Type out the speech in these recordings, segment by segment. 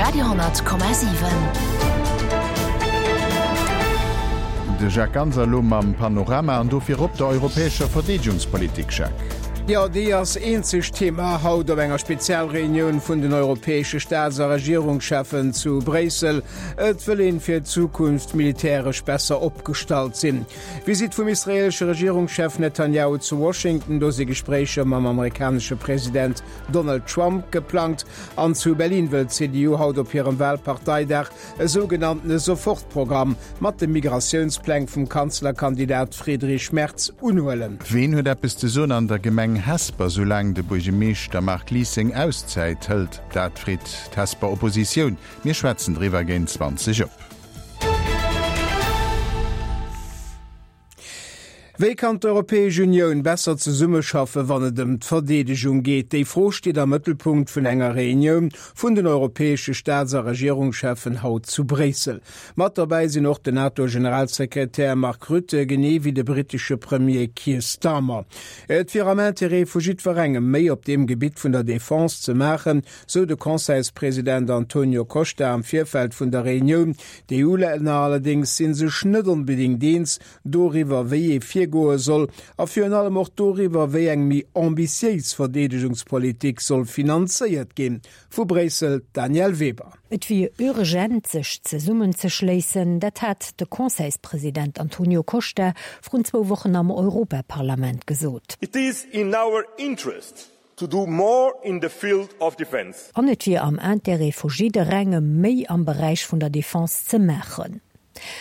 Radio 10,7. De Jacques Ganser elo mam Panorama an do virop der europäescher Verdeedegungspolitik, Jacques. Jo, déi ass eenzegt Thema haut op enger Spezialreunioun vun den europäesche Staats a Regierungscheffen zu Bréissel. Et wëll een fir d'Zukunft militäresch besser opgestallt sinn. Visitt vum israeelesche Regierungschef Netanjahu zu Washington, do si Gespréicher mam amerikanesche President Donald Trump geplangt. An zu Berlin wëll d'CDU haut op hirem Wahlparteidag e sougenanntene Sofortprogramm mat de Migratiounspläng vum Kanzlerkandidat Friedrich Merz unhuelen. Ween huet eppes ze soen an der Gemeng Hesper, soulaang de Buergemeeschter Marc Lies seng Auszäit hëlt? Dat freet d'Hesper Oppositioun. Mir schwätzen driwwer géint 20 op. Wéi kann d'Europäesch Unioun besser zesummeschaffe wann et ëm d'Verdeedegung geet? Déi Fro steet am Mëttelpunkt vun enger Reunioun vun den europäesche Staats a Regierungscheffen haut zu Bréissel. Mat derbäi sinn och den NATO-Generalsekretär Mark Rutte, genee wéi de brittesche Premier Keir Starmer. Et wier am Interêt vu jiddwerengem, méi op deem Gebitt vun der Defense ze maachen, sou de Conseilspresident Antonio Costa am Virfeld vun der Reunioun. D'EU-Länner allerdéngs si sech net onbedéngt eens doriwwer, wéi ee virgoe soll a virun allem och doriwwer, wéi eng méi ambitiéis Verdeedegungspolitik soll finanzéiert ginn. Vu Bréissel d'Danièle Weber. Et wier urgent, sech zesummenzeschléissen, dat hat de Conseilspresident Antonio Costa vrun zwou Wochen am Europaparlament gesot. It is in our interest To do more in the field of defence. An et wier am Intérêt vu jidderengem, méi am Beräich vun der Defense ze maachen.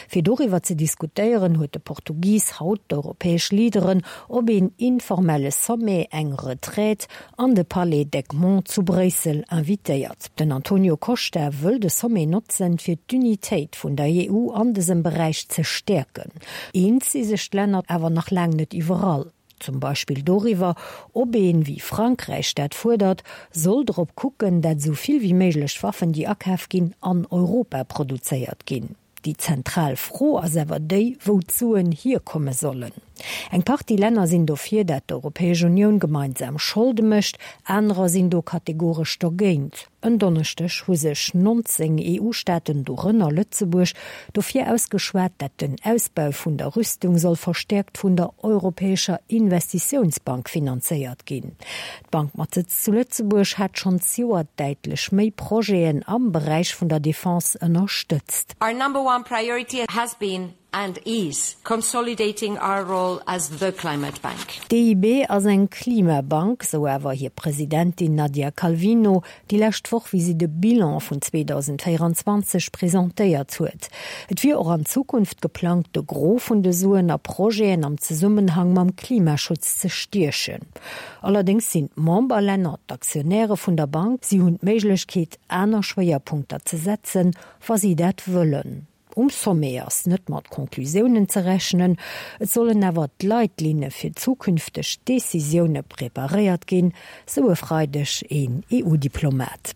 Fir doriwwer ze diskutéieren, huet de Portugis haut d'europäesch Leaderen op een informelle Sommet, eng Retraite, an de Palais d'Egmont zu Bréissel invitéiert. Den Antonio Costa wëll de Sommet notzen, fir d'Unitéit vun der EU an dësem Beräich ze stäerken. Eens si sech d'Länner awer nach laang net iwwerall. Zum Beispill doriwwer, ob een, wéi Frankräich dat fuerdert, soll drop kucken, dat esou vill wéi méiglech Waffen, déi akaf ginn, an Europa produzéiert ginn. Déi zentral Fro ass awer déi, wou d'Suen hierkomme sollen. Eng Partie Länner sinn dofir, dat d'Europäesch Unioun gemeinsam Scholde mécht, anerer sinn do kategoresch dogéint. En Donneschdeg hu sech 19 EU-Staaten, dorënner Lëtzebuerg, dofir ausgeschwat, dat den Ausbau vun der Rüstung soll verstäerkt vun der Europäescher Investitiounsbank finanzéiert ginn. D'Bank mat Sëtz zu Lëtzebuerg hat schonn zejoert däitlech méi Projeten am Beräich vun der Defense ënnerstëtzt. Our number one priority has been and is consolidating our role as the climate bank. D'EIB ass eng Klimabank, sou awer hir Presidentin Nadia Calvino déi lescht Woch, wéi si de Bilan vun 2024 presentéiert huet. Et wier och an Zukunft geplangt, de Gros vun de Suen a Projeten am Zesummenhang mam Klimaschutz ze stiechen. Allerdéngs sinn d'Memberlänner d'Aktionäre vun der Bank, si hunn d'Méiglechkeet, aner Schwéierpunkter ze setzen, wa si dat wëllen. Um Sommet ass net mat Conclusiounen ze rechnen, et sollen awer d'Leitlinne fir zukünfteg Decisioune preparéiert ginn, sou e Freideg een EU-Diplomat.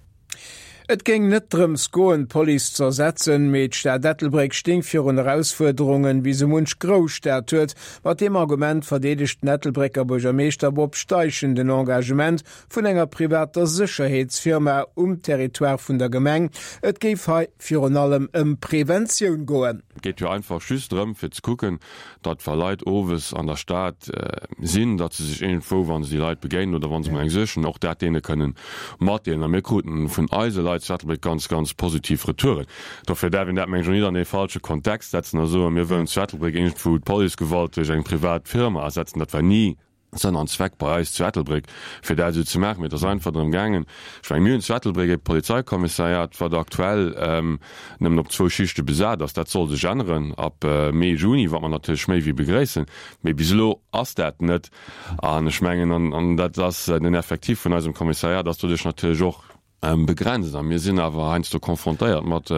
Et géing net drëms goen, d'Police ze ersetzen, mee d'Stad Ettelbréck stéing virun Erausfuerderungen, wéi sou munch Grousstad huet. Mat deem Argument verdeedegt den Ettelbrécker Buergermeeschter Bob Steichen den Engagement vun enger privater Sécherheetsfirma um Territoire vun der Gemeng. Et géif hei virun allem ëm Preventioun goen. Et geet jo einfach just drëm, fir ze kucken, datt wa Leit owes an der Stad sinn, datt se sech iergendwou, wa se déi Leit begéinen oder wa se mol eng sichen, och dat deene kënnen matdeelen. A mir kruten vun eise Leit zu Ettelbréck ganz, ganz positiv Retouren. Dofir däerf een dat, mengen ech, och net an ee falsche Kontext setzen a soen, mir wëllen zu Ettelbréck iergendwou d'Policegewalt duerch eng privat Firma ersetzen. Dat war ni Sënn an Zweck bei eis zu Ettelbréck, fir dat esou ze maachen. Mee et ass einfach drëm gaangen, ech mengen, mir hunn zu Ettelbréck e Polizeikommissariat, wat aktuell nëmmen op zwou Schichte besat ass. Dat soll sech änneren ab Mee, Juni, wat mer natierlech méi wéi begréissen. Mee bis elo ass dat net. An ech mengen, an dat ass den Effectif vun eisem Kommissariat ass doduerch natierlech och, Begrenzt. A mir sinn awer heiansdo confrontéiert mat,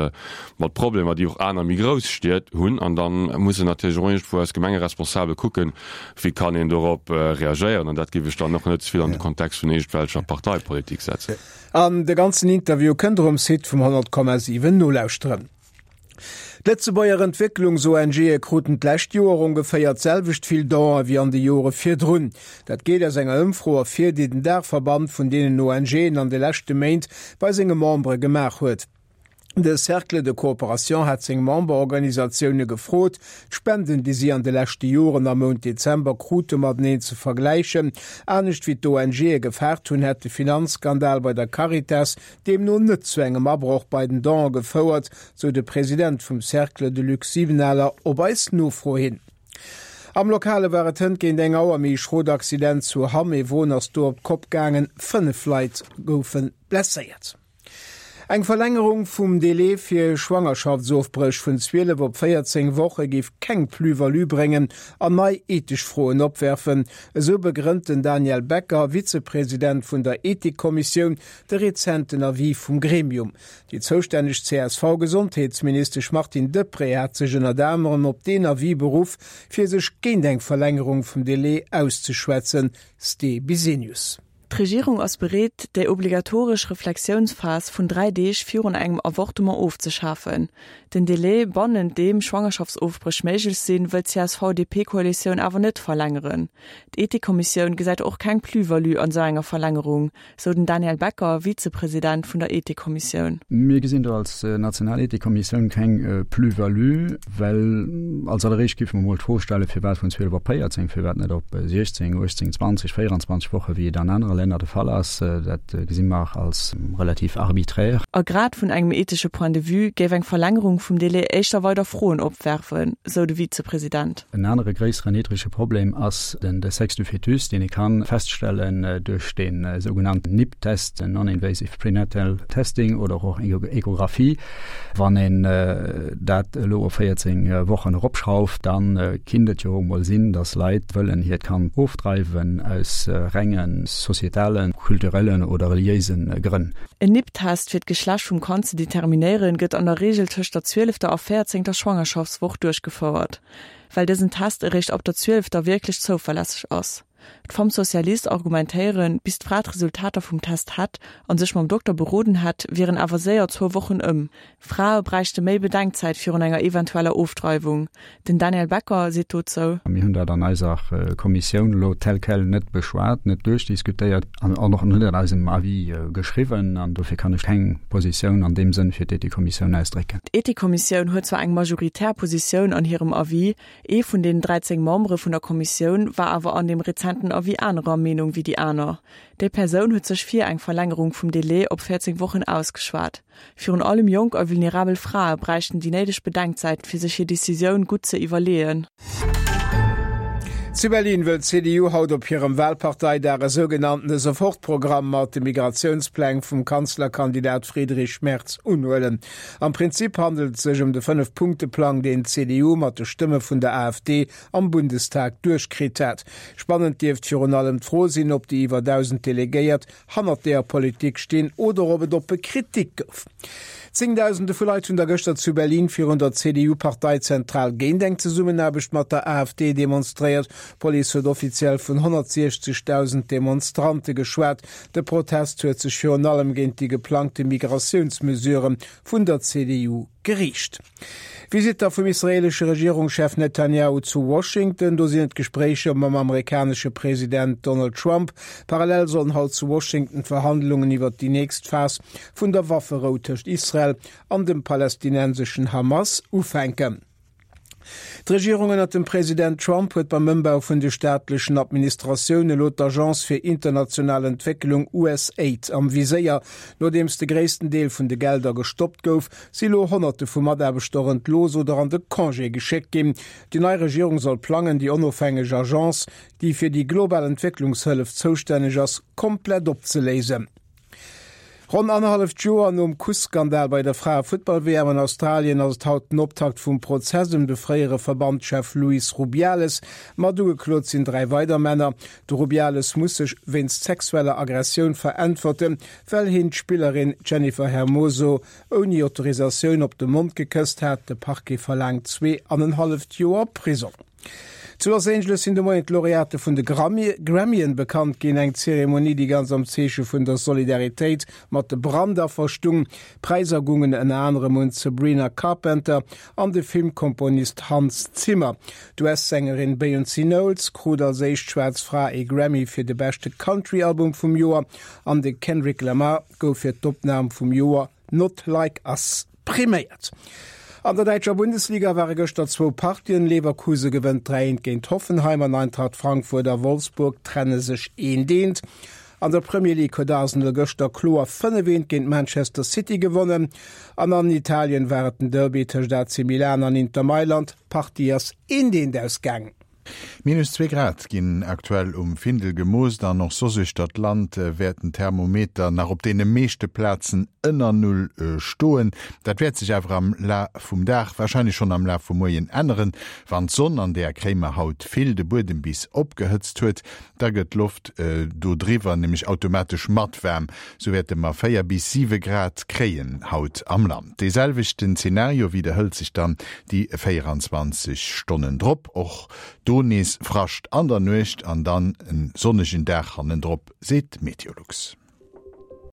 mat Problemer, déi och aner méi grouss Stied hunn. An da mussen natierlech och iergendwou eis Gemengeresponsabel kucken, wéi kann een dorop reagéieren. An dat géif ech dann och net ze vill an de Kontext vun iergendwelcher Parteipolitik setzen. An de ganzen Interview kënnt der um Site vum 100,7 nolauschteren. D'Lëtzebuerger Entwécklungs-ONGe kruten d'lescht Joer ongeféier d'selwecht vill Donen ewéi an de Jore virdrun. Dat geet aus enger Ëmfro ervir, déi den Daachverband vun deenen ONGen an de leschte Méint bei senge Membere gemaach huet. De Cercle de Coopération hat seng Memberorganisatioune gefrot, d'Spenden, déi si an de leschte Joren am Mount Dezember krute mateneen ze vergläichen. Anescht wéi d'ONGe gefaart hunn, hätt de Finanzskandal bei der Caritas deemno net zu engem Abroch bei den Donë gefouert, sou de President vum Cercle, de Luc Sibenaler, op eis Nofro hin. Am Lokale war et hënt géint eng Auer méi e schrot Accident zu Hamm. Ee Won ass do op d'Kopp gaangen, 5 Leit goufe blesséiert. Eng Verlängerung vum Délai fir Schwangerschaftsofbréch vun 12 op 14 Woche géif keng Plus-value bréngen an nei ethesch Froen opwerfen, esou begrënnt den Daniel Becker, Vizepresident vun der Ethikkommissioun, de rezenten Avis vum Gremium. Déi zoustänneg CSV-Gesondheetsministesch Martine Deprez hat sech ënnert anerem op deen Avis beruff, fir sech géint eng Verlängerung vum Délai auszeschwätzen. Ste Bisenius. D'Regierung ass bereet, déi obligatoresch Reflexiounsphas vun 3 Deeg virun engem Avortement ofzeschafen. Den Delai, bannent deem Schwangerschaftsofbréch méiglech sinn, wëll d'CSV-DP-Koalitioun awer net verlängeren. D'Ethikkommissioun gesäit och keng Plus-value an esou enger Verlängerung, sou den Daniel Becker, Vizepresident vun der Ethikkommissioun. Mir gesinn do als national Ethikkommissioun keng Plus-value, well als alleréischt géife mer emol d'Fro stellen, firwat vun 12 op 14, firwat net op 16, 18, 20, 24 Woche wéi et an anere Länner de Fall ass. Dat gesi mer als relativ arbiträr. A grad vun engem ethesche Point de vue géif eng Verlängerung vum Délai éischter weider Froen opwerfen, sou de Vizepresident. En anere gréisseren ethesche Problem ass den de Sexe du fœtus, deen ee ka feststellen duerch de sougenannten NIPT-Test, den Non-Invasive Prenatal Testing oder och Echographie. Wann een dat elo op 14 Wochen eropschrauft, da kinnt et jo emol sinn, datt Leit wëllen hiert Kand ofdreiwen aus renge societalen, kulturellen oder reliéise Grënn. En NIPT-Test fir d'Geschlecht vum Kand ze determinéieren, gëtt an der Reegel tëscht der zwielefter a véierzéngter Schwangerschaftswoch duerchgefouert, well dësen Test eréischt ab der zwielefter wierklech zouverlässeg ass. D'Femmes Socialistes argumentéieren, bis d'Fra d'Resultater vum Test hätt an sech mam Dokter beroden hätt, wieren awer séier zwou Wochen ëm. Frae bräichte méi Bedenkzäit virun enger eventueller Ofdreiwung. Den Daniel Becker seet dozou. Mir hunn dat an eiser Kommissioun elo tel quel net beschwat, net duerchdiskutéiert an och net an eisem Avis geschriwwen. An dofir kann ech keng Positioun an deem Sënn fir d'Ethikkommissioun ausdrécken. D'Ethikkommissioun huet zwar eng majoritär Positioun an hirem Avis, Ee vun den 13 Membere vun der Kommissioun war awer an deem rezenten Avis anerer Meenung wéi déi aner. Déi Persoun huet sech fir eng Verlängerung vum Delai op 14 Wochen ausgeschwat. Virun allem jonk a vulnerabel Frae bräichten déi néideg Bedenkzäit, fir sech hir Decisioun gutt ze iwwerleeën. Zu Berlin wëll d'CDU haut op hirem Wahlparteidag e sougenanntene Sofortprogramm mat de Migratiounspläng vum Kanzlerkandidat Friedrich Merz unhuelen. Am Prinzip handelt et sech ëm de Fënnef-Punkte-Plang, deen d'CDU mat de Stëmme vun der AfD am Bundestag duerchkritt hat. Spannend dierft virun allem d'Fro sinn, ob déi iwwer 1.000 Delegéiert hannert deeër Politik stinn oder ob et oppe Kritik gouf. Zéngdausende vu Leit hunn da gëschter zu Berlin virun der CDU-Parteizentral géint eng Zesummenaarbecht mat der AfD demonstréiert. D'Police huet offiziell vun 160.000 Demonstrante geschwat. De Protest huet sech virun allem géint déi geplangte Migratiounsmesurë vun der CDU geriicht. Visitt da vum israeelesche Regierungschef Netanjahu zu Washington. Do sinn et Gespréicher mam amerikanesche President Donald Trump. Parallel sollen haut zu Washington d'Verhandlungen iwwert déi nächst Phas vun der Wafferou tëscht Israel an dem palästinenseschen Hamas ufänken. D'Regierung ënnert dem President Trump huet beim Ëmbau vun de staatlechen Administratioune elo d'Agence fir international Entwécklung, USAID, am Viséier. Nodeems de gréissten Deel vun de Gelder gestoppt gouf, si lo Honnerte vu Mataarbechter entlooss oder an de Congé geschéckt ginn. Déi nei Regierung soll plangen, déi onofhängeg Agence, déi fir déi global Entwécklungshëllef zoustänneg ass, komplett opzeléisen. Ronn annerhalleft Joer nom Kuss-Skandal bei der Frae-Futtball-WM an Australien ass et haut den Optakt vum Prozess ëm de fréiere Verbandschef Luis Rubiales. Mat ugeklot sinn 3 weider Männer. De Rubiales muss sech wéinst sexueller Aggressioun veräntwerten, well hien d'Spillerin Jennifer Hermoso ouni Autorisatioun op de Mond gekësst hat. De Parquet verlaangt 2,5 Joer Prisong. Zu Los Angeles sinn de Moien d'Laureate vun de Grammyen bekannt ginn. Eng Zeremonie, déi ganz am Zeeche vun der Solidaritéit mat de Brandaffer stung. Präisser gungen ënner anerem un d'Sabrina Carpenter an de Filmkomponist Hans Zimmer. D'US-Sängerin Beyoncé Knowles krut als éischt schwaarz Fra ee Grammy fir de beschte Country-Album vum Joer an de Kendrick Lamar gouf fir d'Opnam vum Joer Not Like Us. Priméiert. An der däitscher Bundesliga ware gëschter zwou Partien. Leverkuse gewënnt 3 eent géint Hoffenheim an Eintracht Frankfurt a Wolfsburg trenne sech eent eent. An der Premier League huet Arsenal gëschter kloer 5 eent géint Manchester City gewonnen. An an Italien war et den Derby tëscht AC Milan an Inter Mailand. D'Partie ass eent eent ausgaangen. Minus zwee Grad ginn aktuell um Findel gemoosst an och soss uechter d'Land wäert den Thermometer nach op deene meeschte Plazen ënner Null stoen. Dat wäert sech awer am Laf vum Dag, warscheinlech schonn am Laf vum Moien änneren. Wann d'Sonn, an där kréie mer haut vill, de Buedem bis opgehëtzt huet, da gëtt d'Loft do driwwer nämlech automatesch mat waarm. Sou wäerte mer 4 bis 7 Grad kréien haut am Land. Dee selwechten Zenario widderhëlt sech dann déi 24 Stonnen drop. Och do nees Frascht an der Nuecht an dann en sonnegen Dag hannendrop, seet d'Meteolux.